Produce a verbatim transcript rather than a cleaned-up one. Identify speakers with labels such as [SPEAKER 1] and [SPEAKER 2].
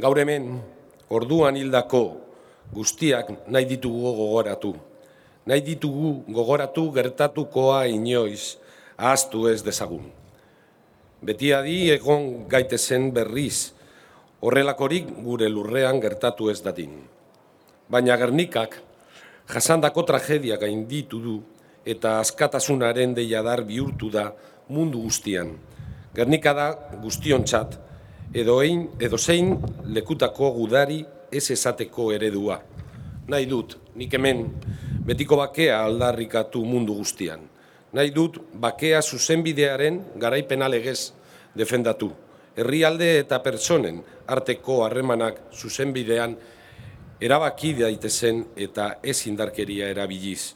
[SPEAKER 1] Gaur hemen, orduan hildako guztiak nahi ditugu gogoratu. Nahi ditugu gogoratu gertatukoa inoiz ahaztu ez dezagun. Beti adi egon gaitezen berriz, horrelakorik gure lurrean gertatu ez dadin. Baina Gernikak jasandako tragedia gainditu du eta askatasunaren deiadar bihurtu da mundu guztian. Gernika da guztiontzat, edo ein, edo zein lekutako gudari ez esateko eredua. Nahi dut, nik hemen betiko bakea aldarrikatu mundu guztian. Nahi dut bakea zuzenbidearen garaipena legez defendatu. Herrialde eta pertsonen arteko harremanak zuzenbidean erabaki daitezen eta ez indarkeria erabiliz.